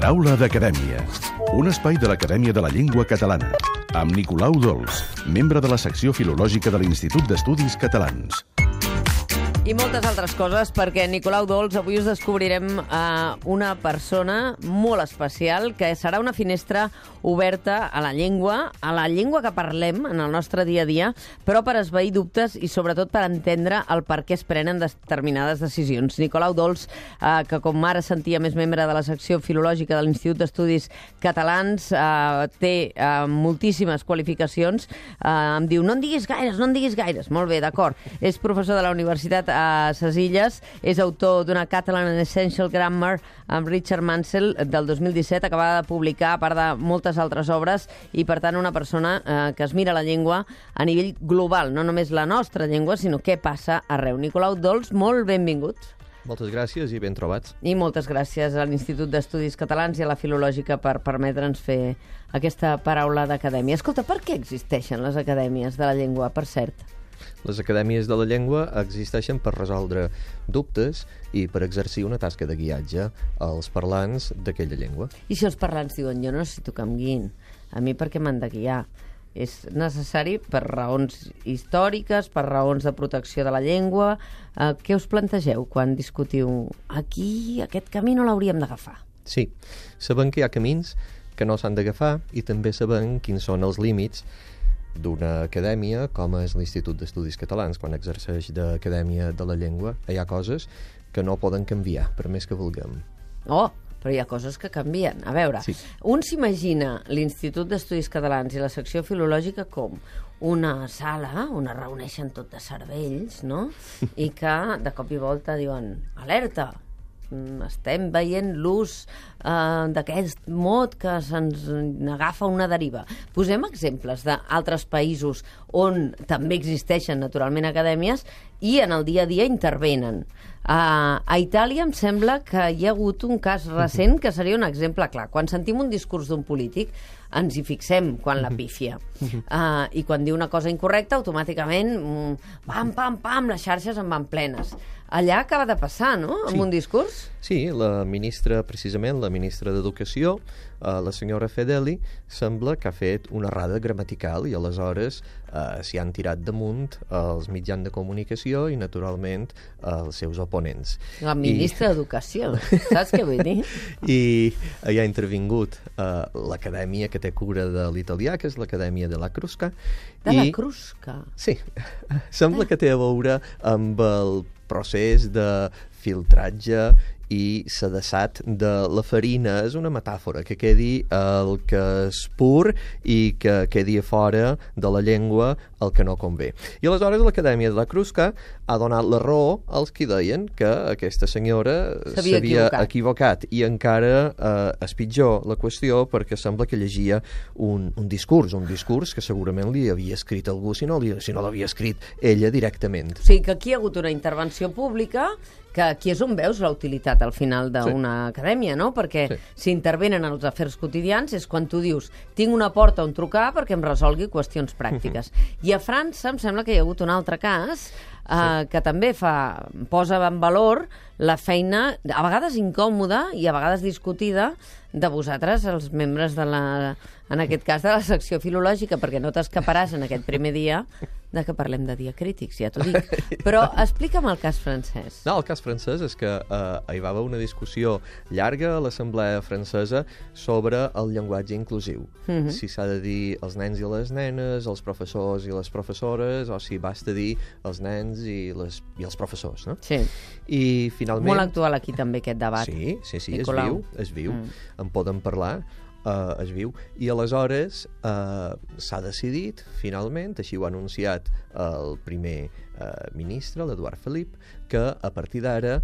Paraula d'Acadèmia, un espai de l'Acadèmia de la Llengua Catalana, amb Nicolau Dols, membre de la secció filològica de l'Institut d'Estudis Catalans. I moltes altres coses, perquè Nicolau Dols avui us descobrirem una persona molt especial, que serà una finestra oberta a la llengua que parlem en el nostre dia a dia, però per esvair dubtes i sobretot per entendre el per què es prenen determinades decisions. Nicolau Dols, que com ara sentia més membre de la secció filològica de l'Institut d'Estudis Catalans, té moltíssimes qualificacions, em diu, no en diguis gaires. Molt bé, d'acord. És professor de la Universitat a ses Illes, és autor d'una Catalan and Essential Grammar amb Richard Mansell del 2017, acabada de publicar, a part de moltes altres obres, i per tant una persona que es mira la llengua a nivell global, no només la nostra llengua, sinó què passa arreu. Nicolau Dols, molt benvingut. Moltes gràcies i ben trobats. I moltes gràcies a l'Institut d'Estudis Catalans i a la Filològica per permetre'ns fer aquesta paraula d'acadèmia. Escolta, per què existeixen les acadèmies de la llengua, per cert? Les acadèmies de la llengua existeixen per resoldre dubtes i per exercir una tasca de guiatge als parlants d'aquella llengua. I si els parlants diuen, jo no necessito que em guiïn, a mi per què m'han de guiar? És necessari per raons històriques, per raons de protecció de la llengua. Què us plantegeu quan discutiu? Aquí, aquest camí no l'hauríem d'agafar. Sí, sabem que hi ha camins que no s'han d'agafar i també sabem quins són els límits d'una acadèmia com és l'Institut d'Estudis Catalans. Quan exerceix d'acadèmia de la llengua hi ha coses que no poden canviar, per més que vulguem. Oh, però hi ha coses que canvien. A veure, sí. Un s'imagina l'Institut d'Estudis Catalans i la secció filològica com una sala on es reuneixen tot de cervells, no? I que de cop i volta diuen, alerta, estem veient l'ús d'aquest mot que se'ns agafa una deriva. Posem exemples d'altres països on també existeixen naturalment acadèmies i en el dia a dia intervenen. A Itàlia em sembla que hi ha hagut un cas recent que seria un exemple clar. Quan sentim un discurs d'un polític ens hi fixem quan la pífia. I quan diu una cosa incorrecta, automàticament pam, pam, pam, les xarxes en van plenes. Allà acaba de passar, no?, amb un discurs? Sí, la ministra, precisament, la ministra d'Educació, la senyora Fedeli, sembla que ha fet una errada gramatical i aleshores s'hi han tirat damunt els mitjans de comunicació i, naturalment, els seus oponents. La ministra d'Educació, saps què vull dir? I hi ha intervingut l'acadèmia que té cura de l'italià, que és l'acadèmia de la Crusca. La Crusca? Sí, sembla que té a veure amb el procés de filtratge i sedassat de la farina. És una metàfora, que quedi el que és pur i que quedi a fora de la llengua el que no convé. I aleshores l'Acadèmia de la Crusca ha donat la raó als qui deien que aquesta senyora s'havia equivocat. I encara és pitjor la qüestió perquè sembla que llegia un discurs que segurament li havia escrit algú, si no l'havia escrit ella directament. O sigui que aquí hi ha hagut una intervenció pública que aquí és on veus la utilitat al final d'una acadèmia, no? Perquè si intervenen en els afers quotidians és quan tu dius, tinc una porta on trucar perquè em resolgui qüestions pràctiques. I a França em sembla que hi ha hagut un altre cas que també posa en valor la feina, a vegades incòmoda i a vegades discutida, de vosaltres, els membres en aquest cas de la secció filològica, perquè no t'escaparàs en aquest primer dia de que parlem de diacrítics, ja t'ho dic. Però explica'm el cas francès. No, el cas francès és que hi va haver una discussió llarga a l'Assemblea francesa sobre el llenguatge inclusiu. Si s'ha de dir els nens i les nenes, els professors i les professores, o si basta dir els nens i els professors, no? Sí. I finalment... Molt actual aquí també aquest debat. Sí, és viu. En poden parlar. Es viu, i aleshores s'ha decidit finalment, així ho ha anunciat el primer ministre, l'Eduard Felip, que a partir d'ara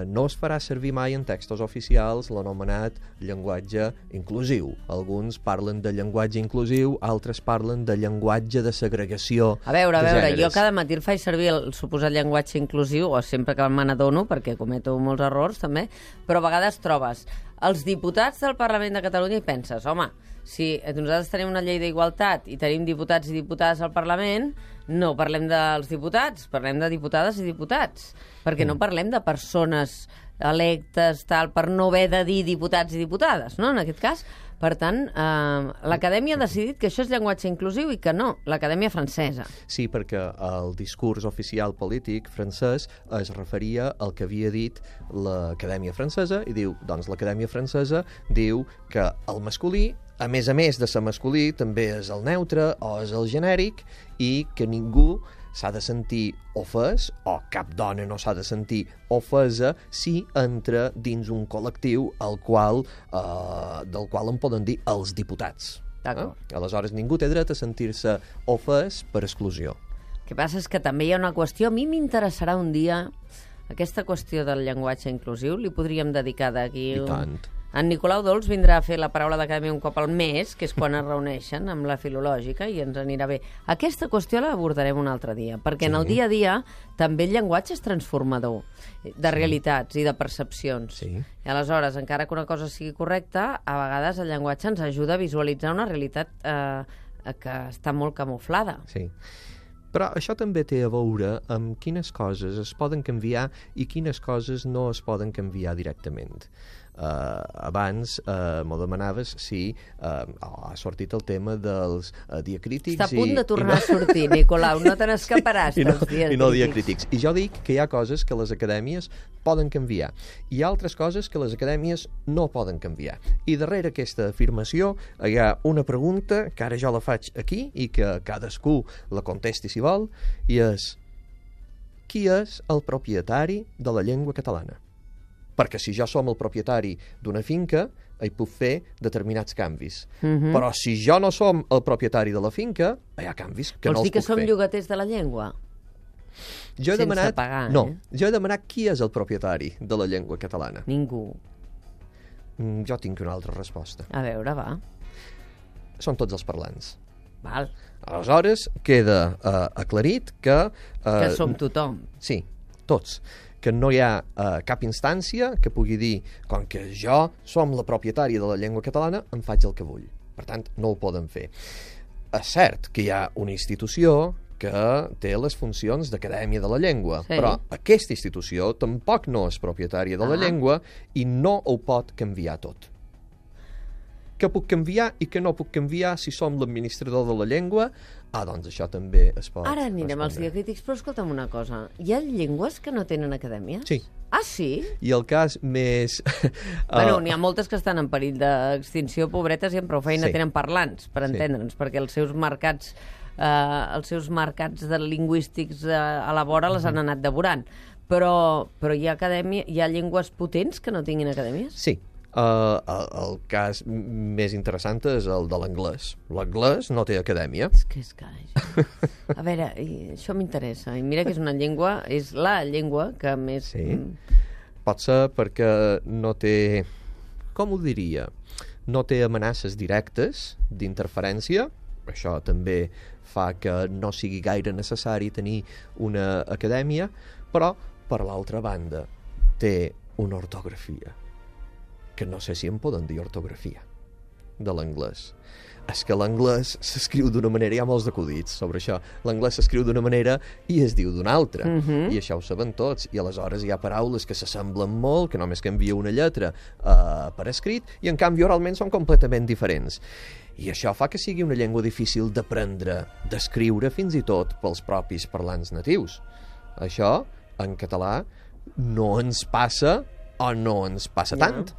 no es farà servir mai en textos oficials l'anomenat llenguatge inclusiu. Alguns parlen de llenguatge inclusiu, altres parlen de llenguatge de segregació de gèneres. A veure, jo cada matí el faig servir el suposat llenguatge inclusiu, o sempre que me n'adono, perquè cometo molts errors també, però a vegades trobes els diputats del Parlament de Catalunya i penses, home, si nosaltres tenim una llei d'igualtat i tenim diputats i diputades al Parlament, no parlem dels diputats, parlem de diputades i diputats, perquè no parlem de persones electes, tal, per no haver de dir diputats i diputades, no?, en aquest cas. Per tant, l'Acadèmia ha decidit que això és llenguatge inclusiu i que no, l'Acadèmia francesa. Sí, perquè el discurs oficial polític francès es referia al que havia dit l'Acadèmia francesa i diu, doncs l'Acadèmia francesa diu que el masculí, a més de ser masculí, també és el neutre o és el genèric i que ningú s'ha de sentir ofès, o cap dona no s'ha de sentir ofesa si entra dins un col·lectiu del qual en poden dir els diputats. Aleshores, ningú té dret a sentir-se ofès per exclusió. El que passa és que també hi ha una qüestió, a mi m'interessarà un dia aquesta qüestió del llenguatge inclusiu, li podríem dedicar d'aquí... I tant. En Nicolau Dols vindrà a fer la paraula d'Acadèmia un cop al mes, que és quan es reuneixen amb la filològica, i ens anirà bé. Aquesta qüestió l'abordarem un altre dia, perquè en el dia a dia també el llenguatge és transformador de realitats i de percepcions. Sí. I aleshores, encara que una cosa sigui correcta, a vegades el llenguatge ens ajuda a visualitzar una realitat que està molt camuflada. Sí. Però això també té a veure amb quines coses es poden canviar i quines coses no es poden canviar directament. Abans m'ho demanaves si ha sortit el tema dels diacrítics... Està a punt de tornar a sortir, Nicolau, no te n'escaparàs dels diacrítics. I no diacrítics. I jo dic que hi ha coses que les acadèmies poden canviar. Hi ha altres coses que les acadèmies no poden canviar. I darrere aquesta afirmació hi ha una pregunta que ara jo la faig aquí i que cadascú la contesti si vol, i és: qui és el propietari de la llengua catalana? Perquè si jo som el propietari d'una finca, hi puc fer determinats canvis. Però si jo no som el propietari de la finca, hi ha canvis que no els puc fer. Vols dir que som llogaters de la llengua? Jo he Sense pagar, no, jo he demanat qui és el propietari de la llengua catalana. Ningú. Jo tinc una altra resposta. A veure, va. Són tots els parlants. Val. Aleshores, queda aclarit que... Que som tothom. Sí, tots. Que no hi ha cap instància que pugui dir, com que jo som la propietària de la llengua catalana, em faig el que vull. Per tant, no ho poden fer. És cert que hi ha una institució que té les funcions d'Acadèmia de la Llengua, però aquesta institució tampoc no és propietària de la llengua i no ho pot canviar tot. Què puc canviar i què no puc canviar si som l'administrador de la llengua? Doncs això també es pot... Ara anirem als diacrítics, però escolta'm una cosa. Hi ha llengües que no tenen acadèmies? Sí. Ah, sí? I el cas més... Bueno, n'hi ha moltes que estan en perill d'extinció, pobretes, i amb prou feina tenen parlants, per entendre'ns, perquè els seus mercats lingüístics a la vora les han anat devorant. Però hi ha llengües potents que no tinguin acadèmies? Sí. El cas més interessant és el de l'anglès. L'anglès no té acadèmia. És que a veure, això m'interessa. I mira que és una llengua, és la llengua que més... Sí. Pot ser perquè no té... Com ho diria? No té amenaces directes d'interferència. Això també fa que no sigui gaire necessari tenir una acadèmia, però, per l'altra banda, té una ortografia que no sé si en poden dir ortografia de l'anglès. És que l'anglès s'escriu d'una manera, hi ha molts acudits sobre això, l'anglès s'escriu d'una manera i es diu d'una altra, i això ho saben tots, i aleshores hi ha paraules que s'assemblen molt, que només canvia una lletra per escrit, i en canvi oralment són completament diferents. I això fa que sigui una llengua difícil d'aprendre, d'escriure fins i tot pels propis parlants natius. Això, en català, no ens passa o no ens passa tant.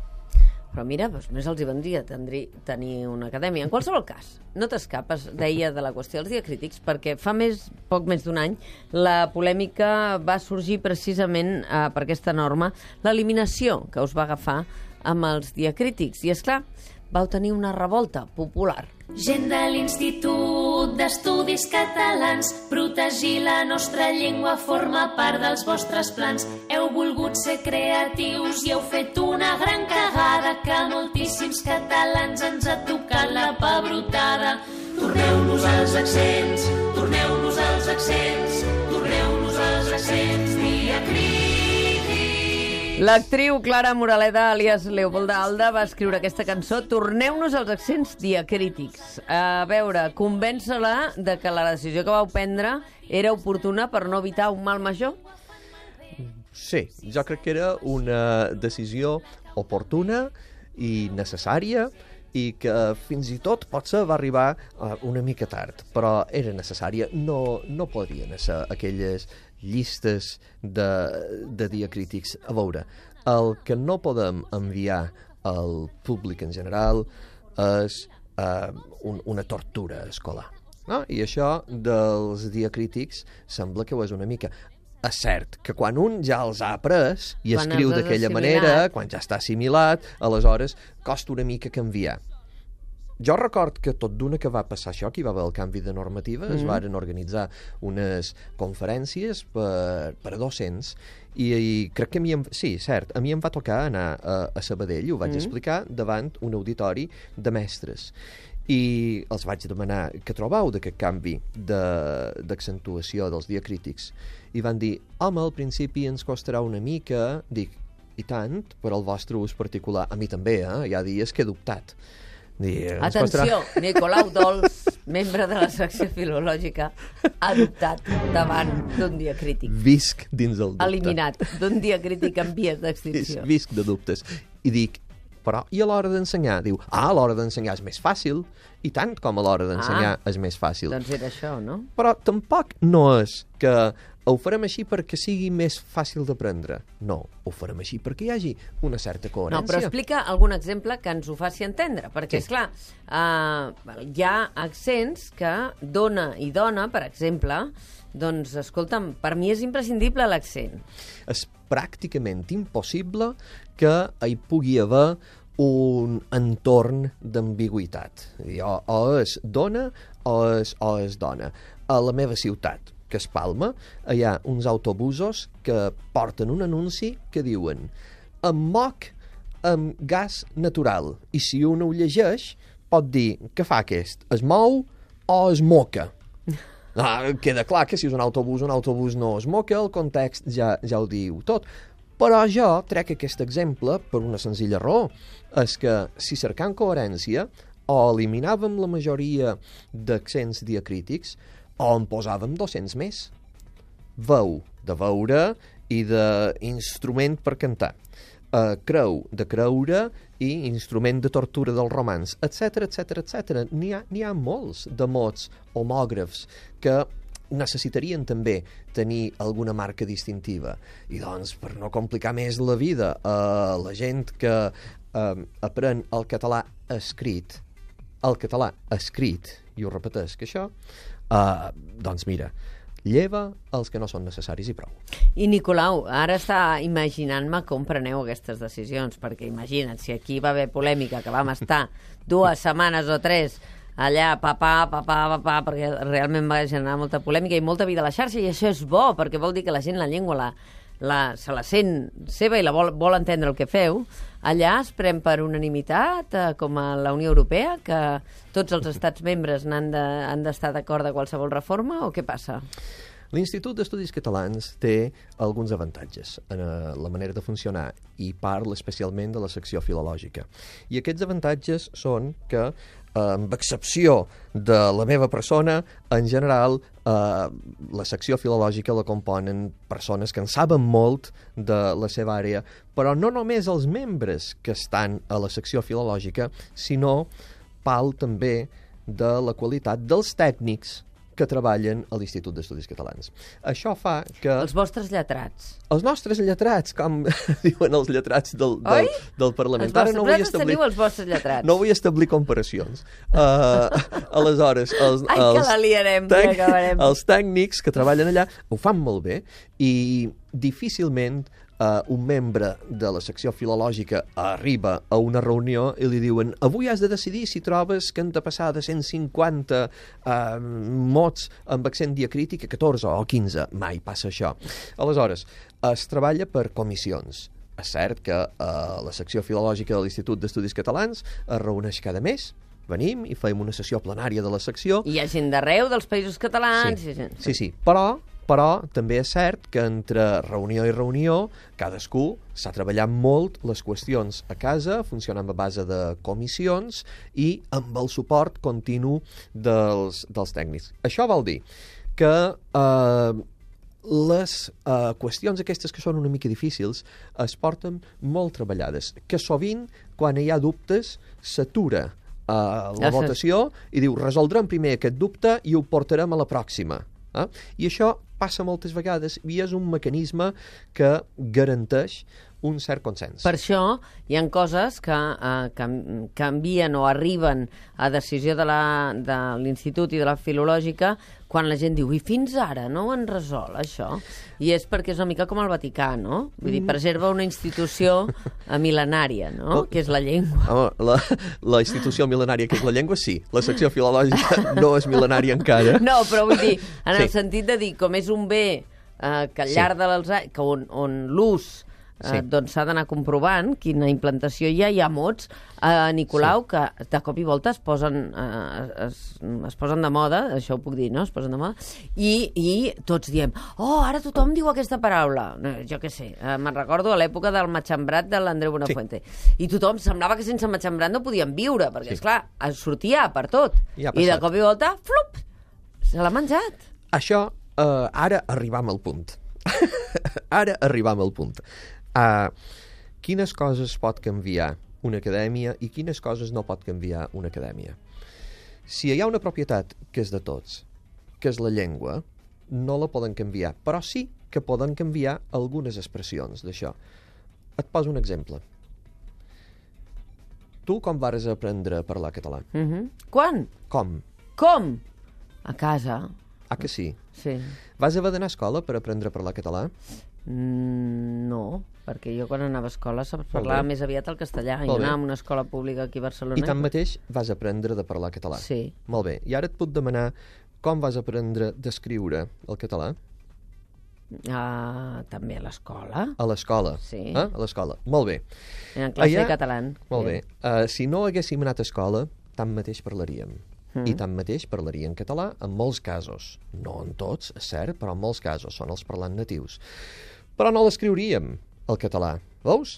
Però mira, doncs més els hi vendria tenir una acadèmia. En qualsevol cas, no t'escapes, deia, de la qüestió dels diacrítics, perquè fa poc més d'un any la polèmica va sorgir precisament per aquesta norma, l'eliminació que us va agafar amb els diacrítics. I, esclar, vau tenir una revolta popular. Gent de l'Institut d'Estudis Catalans, protegir la nostra llengua forma part dels vostres plans. Heu volgut ser creatius i heu fet una gran cagada que moltíssims catalans ens ha tocat la pebrotada. Torneu-nos als accents, torneu-nos als accents, torneu-nos als accents diacrítics. L'actriu Clara Moraleda, alias Leopolda Alda, va escriure aquesta cançó Torneu-nos als accents diacrítics. A veure, convèncer-la de que la decisió que vau prendre era oportuna per no evitar un mal major? Sí, jo crec que era una decisió oportuna i necessària i que fins i tot potser va arribar una mica tard, però era necessària. No podrien ser aquelles llistes de diacrítics. A veure, el que no podem enviar al públic en general és una tortura escolar. No? I això dels diacrítics sembla que ho és una mica. És cert que quan un ja els ha après i quan escriu d'aquella manera, quan ja està assimilat, aleshores costa una mica canviar. Jo record que tot d'una que va passar això, que hi va haver el canvi de normativa, es varen organitzar unes conferències per a docents i crec que sí, cert, a mi em va tocar anar a Sabadell i ho vaig explicar davant un auditori de mestres. I els vaig demanar què trobeu d'aquest canvi d'accentuació dels diacrítics. I van dir, home, al principi ens costarà una mica. Dic, i tant, per al vostre ús particular. A mi també, hi ha dies que he dubtat. Atenció, Nicolau Dols, membre de la secció filològica, ha dubtat davant d'un diacrític. Visc dins el dubte. Eliminat d'un diacrític en vies d'extinció. Visc de dubtes. I dic, però i a l'hora d'ensenyar? Diu, a l'hora d'ensenyar és més fàcil. I tant com a l'hora d'ensenyar és més fàcil. Doncs era això, no? Però tampoc no és que ho farem així perquè sigui més fàcil d'aprendre. No, ho farem així perquè hi hagi una certa coherència. No, però explica algun exemple que ens ho faci entendre, perquè, esclar, hi ha accents que dona i dona, per exemple, doncs, escolta'm, per mi és imprescindible l'accent. És pràcticament impossible que hi pugui haver un entorn d'ambigüitat. O és dona o és dona. A la meva ciutat, que és Palma, hi ha uns autobusos que porten un anunci que diuen em moc amb gas natural. I si un ho llegeix, pot dir què fa aquest? Es mou o es moca? Queda clar que si és un autobús no es moca, el context ja ho diu tot. Però jo trec aquest exemple per una senzilla raó. És que si cercant coherència o eliminàvem la majoria d'accents diacrítics o en posàvem 200 més. Veu de veure i d'instrument per cantar. Creu de creure i instrument de tortura del romanç, etc. N'hi ha molts de mots homògrafs que necessitarien també tenir alguna marca distintiva. I doncs, per no complicar més la vida a la gent que aprèn el català escrit, i ho repeteix que això, doncs mira, lleva els que no són necessaris i prou. I Nicolau, ara està imaginant-me com preneu aquestes decisions, perquè imagina't, si aquí va haver polèmica, que vam estar 2 setmanes o 3 allà, perquè realment va generar molta polèmica i molta vida a la xarxa, i això és bo, perquè vol dir que la gent la llengua se la sent seva i la vol entendre el que feu. Allà es pren per unanimitat, com a la Unió Europea, que tots els estats membres han d'estar d'acord de qualsevol reforma, o què passa? L'Institut d'Estudis Catalans té alguns avantatges en la manera de funcionar i parla especialment de la secció filològica. I aquests avantatges són que, amb excepció de la meva persona, en general la secció filològica la componen persones que en saben molt de la seva àrea, però no només els membres que estan a la secció filològica, sinó parla també de la qualitat dels tècnics que treballen a l'Institut d'Estudis Catalans. Això fa que... Els vostres lletrats. Els nostres lletrats, com diuen els lletrats del Parlament. Els vostres lletrats teniu els vostres lletrats. No vull establir comparacions. Aleshores, que la liarem, ja acabarem. Els tècnics que treballen allà ho fan molt bé i difícilment un membre de la secció filològica arriba a una reunió i li diuen avui has de decidir si trobes que han de passar de 150 mots amb accent diacrític a 14 o 15. Mai passa això. Aleshores, es treballa per comissions. És cert que la secció filològica de l'Institut d'Estudis Catalans es reuneix cada mes. Venim i fem una sessió plenària de la secció. I hi ha gent d'arreu dels països catalans. Sí, però Però també és cert que entre reunió i reunió cadascú s'ha treballat molt les qüestions a casa, funcionant a base de comissions i amb el suport continu dels tècnics. Això vol dir que les qüestions aquestes que són una mica difícils es porten molt treballades, que sovint, quan hi ha dubtes, s'atura la votació i diu, resoldrem primer aquest dubte i ho portarem a la pròxima. I això passa moltes vegades i és un mecanisme que garanteix un cert consens. Per això hi ha coses que canvien o arriben a decisió de l'Institut i de la Filològica quan la gent diu, i fins ara no ho han resolt, això? I és perquè és una mica com el Vaticà, no? Vull dir, preserva una institució mil·lenària, no? Que és la llengua. Home, la institució mil·lenària que és la llengua, sí. La secció filològica no és mil·lenària encara. No, però vull dir, en el sentit de dir, com és un bé que al llarg dels anys, on l'ús doncs s'ha d'anar comprovant quina implantació hi ha mots, Nicolau, que de cop i volta es posen de moda, això ho puc dir, no? Es posen de moda, i tots diem, ara tothom diu aquesta paraula. Jo què sé, me'n recordo a l'època del matxembrat de l'Andreu Buenafuente. I tothom semblava que sense matxembrat no podien viure, perquè, esclar, sortia per tot. I de cop i volta, flup, se l'ha menjat. Això, ara arribam al punt. Quines coses pot canviar una acadèmia i quines coses no pot canviar una acadèmia. Si hi ha una propietat que és de tots, que és la llengua, no la poden canviar, però sí que poden canviar algunes expressions d'això. Et poso un exemple. Tu com vas aprendre a parlar català? Quan? Com? A casa. Que sí? Sí. Vas haver d'anar a escola per aprendre a parlar català? No, perquè jo quan anava a escola parlava més aviat el castellà. Jo anava a una escola pública aquí a Barcelona. I tanmateix vas aprendre de parlar català? Sí. Molt bé. I ara et puc demanar com vas aprendre d'escriure el català? També a l'escola. A l'escola? Sí. A l'escola. Molt bé. En classe de català. Molt bé. Si no haguéssim anat a escola, tanmateix parlaríem. I tanmateix parlaria en català en molts casos. No en tots, és cert, però en molts casos són els parlants natius. Però no l'escriuríem, el català. Veus?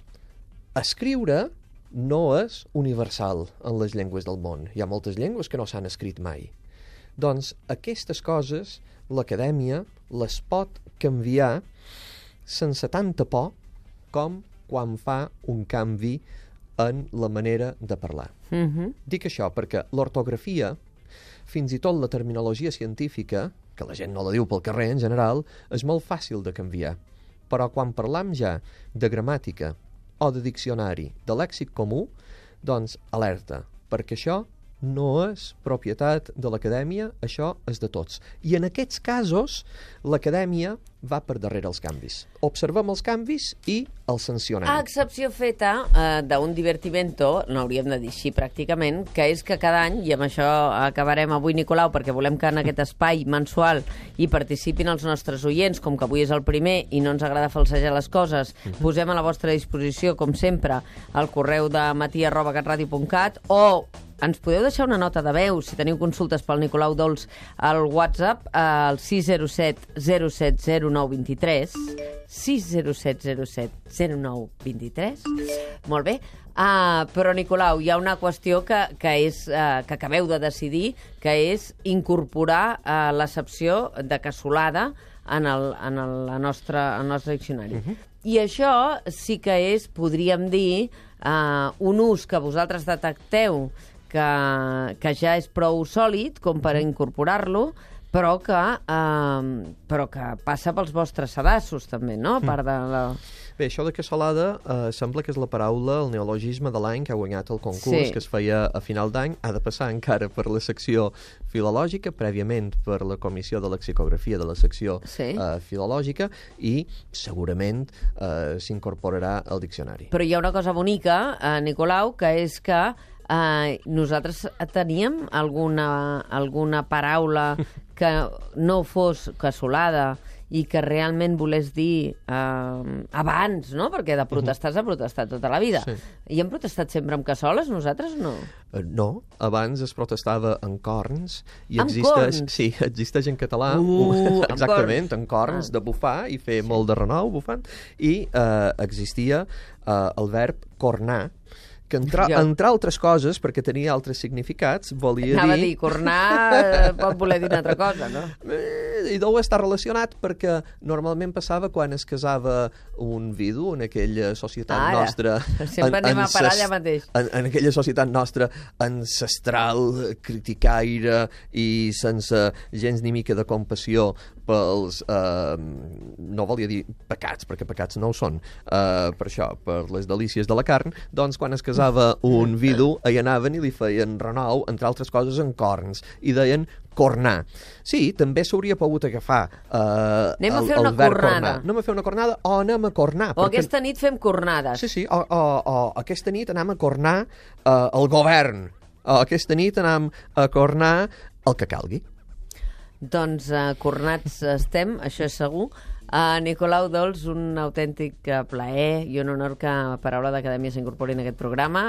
Escriure no és universal en les llengües del món. Hi ha moltes llengües que no s'han escrit mai. Doncs aquestes coses l'acadèmia les pot canviar sense tanta por com quan fa un canvi en la manera de parlar. Dic això perquè l'ortografia, fins i tot la terminologia científica, que la gent no la diu pel carrer en general, és molt fàcil de canviar. Però quan parlam ja de gramàtica o de diccionari, de lèxic comú, doncs alerta, perquè això no és propietat de l'acadèmia, això és de tots. I en aquests casos, l'acadèmia va per darrere els canvis. Observem els canvis i els sancionem. A excepció feta d'un divertimento, no hauríem de dir així pràcticament, que és que cada any, i amb això acabarem avui, Nicolau, perquè volem que en aquest espai mensual hi participin els nostres oients, com que avui és el primer i no ens agrada falsejar les coses, posem a la vostra disposició, com sempre, el correu de matí@catradio.cat o ens podeu deixar una nota de veu si teniu consultes pel Nicolau Dols al WhatsApp al 607 070 0923 607 07 0923. Molt bé. Però, Nicolau, hi ha una qüestió que acabeu de decidir, que és incorporar l'accepció de cassolada en el nostre diccionari. I això sí que és, podríem dir, un ús que vosaltres detecteu que ja és prou sòlid com per incorporar-lo, però que passa pels vostres sedassos, també, no? A part de la... Bé, això de cassolada sembla que és la paraula, el neologisme de l'any que ha guanyat el concurs, que es feia a final d'any. Ha de passar encara per la secció filològica, prèviament per la comissió de lexicografia de la secció filològica, i segurament s'incorporarà al diccionari. Però hi ha una cosa bonica, Nicolau, que és que nosaltres teníem alguna paraula que no fos cassolada i que realment volés dir abans, no? Perquè de protestar s'ha protestat tota la vida. Sí. I hem protestat sempre amb cassoles, nosaltres no? No, abans es protestava en corns i Amb existeix, corns? sí, existeix en català amb exactament, corns. en corns, de bufar i fer molt de renou bufant, i existia el verb cornar, que entre altres coses, perquè tenia altres significats, volia Anava a dir... dir, cornar pot voler dir una altra cosa, no? I deu estar relacionat perquè normalment passava quan es casava un vidu en aquella societat nostra... Sempre anem a parar allà mateix. En aquella societat nostra ancestral, criticaire i sense gens ni mica de compassió pels... no volia dir pecats, perquè pecats no ho són, per això, per les delícies de la carn, doncs quan es casava un vidu, hi anaven i li feien renou, entre altres coses, en corns, i deien cornar. Sí, també s'hauria pogut agafar anem a fer el una verb cornada. cornar. Anem a fer una cornada o anem a cornar. O aquesta nit fem cornades. Sí, o aquesta nit anem a cornar el govern. O aquesta nit anem a cornar el que calgui. Doncs cornats estem, això és segur. Nicolau Dols, un autèntic plaer i un honor que Paraula d'Acadèmia s'incorpori en aquest programa.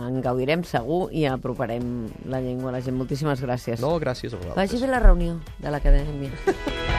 En gaudirem segur i aproparem la llengua a la gent. Moltíssimes gràcies. No, gràcies a vosaltres. Vagi bé la reunió de l'Acadèmia.